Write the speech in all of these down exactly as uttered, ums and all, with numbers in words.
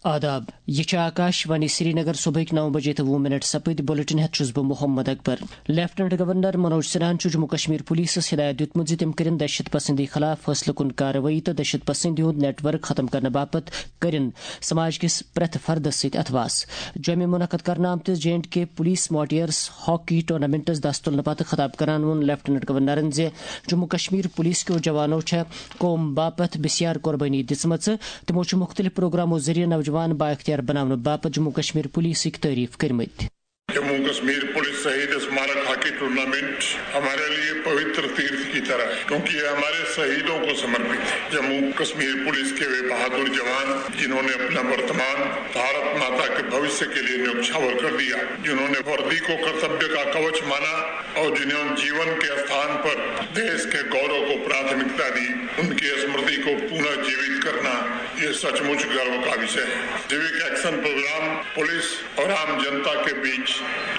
آداب، یہِ چھِ آکاش وانی سرینگر۔ صبحٕکۍ نو بجے تہٕ وُہ منٹ سپٕدۍ۔ بُلٹن ہٮ۪تھ چھُس بہٕ محمد اکبر۔ لیفٹننٹ گورنر منوج سنہاہن چھُ جموں کشمیر پولیسس ہدایت دیُتمُت زِ تِم کٔرِن دہشت پسندی خلاف فٲصلہٕ کُن کاروٲیی تہٕ دہشت پسندی ہُنٛد نیٹ ورک ختم کرنہٕ باپتھ کٔرِن سماج کِس پرٛٮ۪تھ فردس سۭتۍ اتھواس۔ جوٚمہِ منعقد کرنہٕ آمتِس J and K police martyrs hockey ٹورنامنٹس دس تُلنہٕ پتہٕ خطاب کران ووٚن لیفٹننٹ گورنرن زِ جموں کشمیر پولیس کیو جوانو چھےٚ قوم باپتھ بسیار قربٲنی دِژمٕژ۔ تِمو چھُ مُختٔلِف پروگرامو ذٔریعہٕ نوجوان بااختیار بناونہٕ باپتھ جموں کشمیر پولیسٕکۍ تعریف کٔرمٕتۍ۔ जम्मू कश्मीर पुलिस शहीद स्मारक हॉकी टूर्नामेंट हमारे लिए पवित्र तीर्थ की तरह है, क्योंकि ये हमारे शहीदों को समर्पित है। जम्मू कश्मीर पुलिस के वे बहादुर जवान, जिन्होंने अपना वर्तमान भारत माता के भविष्य के लिए न्यौछावर कर दिया, जिन्होंने वर्दी को कर्तव्य का कवच माना और जिन्होंने जीवन के स्थान पर देश के गौरव को प्राथमिकता दी, उनकी स्मृति को पुनः जीवित करना, ये सचमुच गर्व का विषय है। सिविक एक्शन प्रोग्राम पुलिस और आम जनता के बीच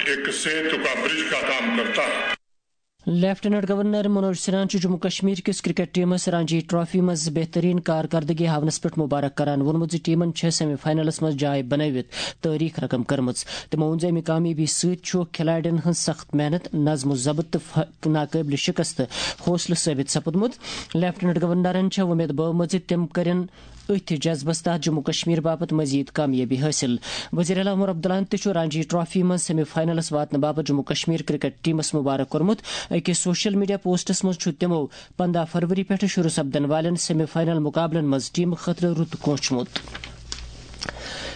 एक सेतु का, ब्रिज का काम करता है। لیفٹننٹ گورنر منوج سنہاہن چھُ جموں کشمیر کِس کرکٹ ٹیمس رانجی ٹرافی منٛز بہترین کارکردگی ہاونس پٮ۪ٹھ مبارک کران ووٚنمُت زِ ٹیمن چھےٚ سیمی فاینلس منٛز جاے بنٲوِتھ تٲریخ رقم کٔرمٕژ۔ تِمو ووٚن زِ امہِ کامیٲبی سۭتۍ چھُ کھلاڑٮ۪ن ہٕنٛز سخت محنت، نظم و ضبط تہٕ ف-، ناقٲبلِ شکست حوصلہٕ ثٲبت سپُدمُت۔ لیفٹننٹ گورنرن چھےٚ وۄمید بٲومٕژ زِ تِم کٔرِن أتھۍ جذبس تحت جموں کشمیر باپتھ مزید کامیٲبی حٲصِل۔ وزیر اعلیٰ عمر عبداللہن تہِ چھُ رانجی ٹرافی منٛز سیمی فاینلس واتنہٕ باپتھ جموں کشمیر کرکٹ ٹیمس مبارک کوٚرمُت۔ أکِس سوشل میڈیا پوسٹس منٛز چھُ تِمو پنٛداہ فروری پٮ۪ٹھٕ شروع سپدن والٮ۪ن سیمی فاینل مقابلن منٛز ٹیمہٕ خٲطرٕ رُت کونچمُت۔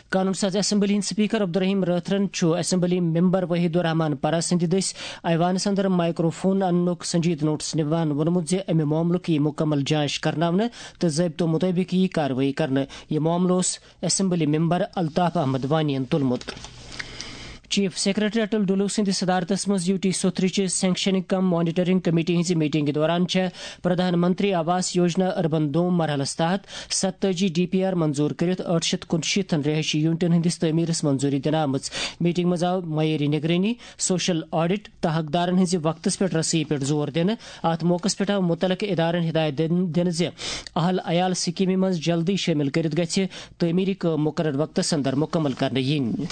قانون ساز اسمبلی ہٕنٛدۍ سپیکر عبدالرحیم رٲتھرن چھُ اسمبلی ممبر وحید الرحمان پرہ سٕنٛدِ دٔسۍ ایوانس اندر مائیکروفون اننُک سنجیدٕ نوٹس نِوان ووٚنمُت زِ امہِ معاملُک یِیہِ مُکمل جانچ کرناونہٕ تہٕ ضٲبطو مُطٲبِق یِیہِ کاروٲیی کرنہٕ۔ یہِ معاملہٕ اوس اسمبلی ممبر الطاف احمد وانی ین تُلمُت۔ چیف سیکرٹری اٹل ڈلو سٕنٛدِ صدارتس منٛز یو ٹی سوتھرٕچہِ سینکشننگ کم مانیٹرنگ کمیٹی ہٕنٛزِ میٹنگہِ دوران چھےٚ پردھان منتری آواس یوجنا اربن دوم مرحلس تحت ستتٲجی ڈی پی آر منظور کٔرِتھ ٲٹھ شیتھ کُنشیٖتھن رہٲیشی یونٹن ہٕنٛدِس تعمیرس منظوری دِنہٕ آمٕژ۔ میٹنگ منٛز آو معیٲری نگرٲنی، سوشل آڈٹ تہٕ حقدارن ہٕنٛزِ وقتس پٮ۪ٹھ رسٲیی پٮ۪ٹھ زور دِنہٕ۔ اتھ موقعس پٮ۪ٹھ آو متعلقہٕ ادارن ہدایت دِن-، دِنہٕ زِ اہل عیال سکیمہِ منٛز جلدی شٲمِل کٔرِتھ گژھِ تعمیری کٲم مقرر وقتس اندر مکمل کرنہٕ یِنۍ۔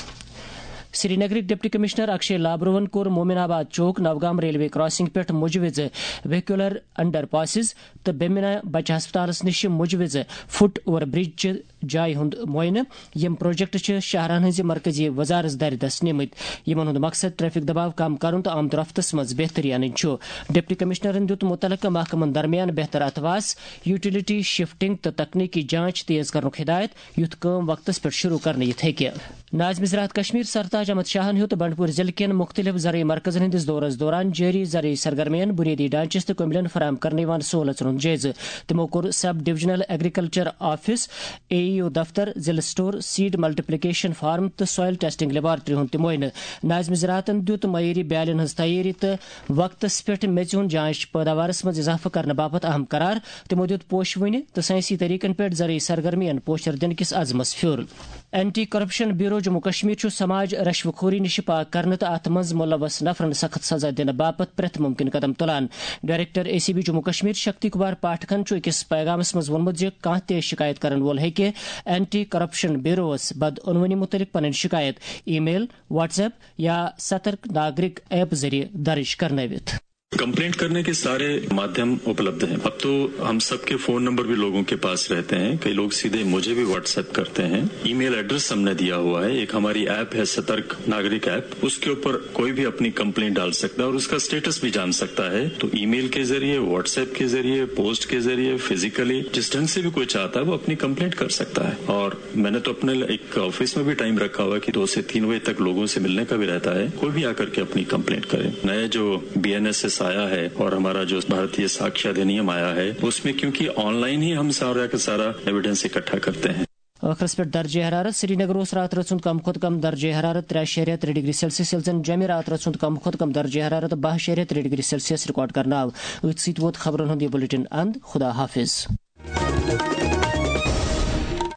سرینگرٕکۍ ڈپٹی کمشنر اکشے لابروہن کوٚر مومن آباد چوک نوگام ریلوے کراسنگ پٮ۪ٹھ مُجوِزٕ ویکیولر انڈر پاسز تہٕ بیمنا بچہ ہسپتالس نِش مُجوِزٕ فٹ اوور برج چہِ جایہِ ہُنٛد معائنہٕ۔ یِم پروجیکٹ چھِ شاہراہن ہٕنٛزِ مرکزی وزارت دارِ دست نِمٕتۍ، یِمن ہُنٛد مقصد ٹریفک دباو کم کرُن تہٕ آمد و رفتس منٛز بہتری انٕنۍ چھُ۔ ڈپٹی کمشنرن دیُت مُتعلقہٕ محکمن درمیان بہتر اتھواس، یوٹیلیٹی شفٹنگ تہٕ تکنیکی جانچ تیز کرنُک ہدایت، یُتھ کٲم وقتس پٮ۪ٹھ شروع کرنہٕ یِتھ ہیٚکہِ۔ ناظم زراعت کشمیر سرتاج احمد شاہن ہیوٚت بنڈپور ضلعہٕ کٮ۪ن مُختٔلِف زرعی مرکزن ہٕنٛدِس دورس دوران جٲری زرعی سرگرمین، بُنیٲدی ڈھانچس تہٕ کٔمِلٮ۪ن فراہم کرنہٕ یِوان سہوٗلژن ہُنٛد جٲیزٕ۔ تِمو کوٚر sub divisional agriculture office, A E O دفتر، ضلعہٕ سٹور، سیڈ ملٹیپلیکیشن فارم تہٕ سوائل ٹیسٹنگ لیبارٹری ہُنٛد تہِ معائنہٕ۔ ناظم زراعتن دیُت معیٲری بیالٮ۪ن ہٕنٛز تیٲری تہٕ وقتس پٮ۪ٹھ میٚژِ ہُنٛد جانچ، پٲداوارس منٛز اضافہٕ کرنہٕ باپتھ اہم قرار۔ تِمو دیُت پوشہٕ وٕنہِ تہٕ سائنسی طریقن پٮ۪ٹھ زرعی سرگرمین پوشر دِنہٕ کِس عزمس پھیُر۔ Anti corruption bureau Jammu Kashmir چھُ سماج رشوٕ خوری نِش پاک کرنہٕ تہٕ اتھ منٛز ملوث نفرن سخت سزا دِنہٕ باپتھ پرٛٮ۪تھ ممکن قدم تُلان۔ Director A C B Jammu Kashmir Shakti Kumar پاٹھکن چھُ أکِس پیغامس منٛز ووٚنمُت زِ کانٛہہ تہِ شکایت کرن وول ہیٚکہِ اینٹی کرپشن بیوروس بدعنوانی متعلق پنٕنۍ شکایت ای میل، واٹس ایپ یا سترک ناگرک ایپ ذٔریعہٕ درج کرنٲوِتھ۔ कंप्लेंट करने के सारे माध्यम उपलब्ध हैं। अब तो हम सबके फोन नंबर भी लोगों के पास रहते हैं। कई लोग सीधे मुझे भी व्हाट्सएप करते हैं। ईमेल एड्रेस हमने दिया हुआ है। एक हमारी ऐप है सतर्क नागरिक ऐप, उसके ऊपर कोई भी अपनी कंप्लेंट डाल सकता है और उसका स्टेटस भी जान सकता है। तो ईमेल के जरिए, व्हाट्सएप के जरिए, पोस्ट के जरिए, फिजिकली, जिस ढंग से भी कोई चाहता है वो अपनी कंप्लेंट कर सकता है। और मैंने तो अपने एक ऑफिस में भी टाइम रखा हुआ है कि दो से तीन बजे तक लोगों से मिलने का भी रहता है। कोई भी आकर के अपनी कंप्लेंट करे। नया जो बीएनएसएस आया है और हमारा जो भारतीय साक्ष्य अधिनियम आया है, उसमें क्योंकि ऑनलाइन ही हम सारा का सारा एविडेंस इकट्ठा करते हैं। ٲخرس پٮ۪ٹھ درجہ حرارت۔ سرینگر اوس راتہٕ رٲژ ہُنٛد کم کھۄتہٕ کم درجہ حرارت ترٛےٚ شیٚیہِ ریترِ ڈگری سیلسیس، ییٚلہِ زن جوٚمہِ راتہٕ رٲژ ہُنٛد کم کھۄتہٕ کم درجہ حرارت باہ شیٚیہِ ریترِ ڈگری سیلسیس ریکارڈ کرنہٕ آو۔ أتھۍ سۭتۍ ووت خبرن ہُنٛد یہِ بلیٹن اند۔ خدا حافظ۔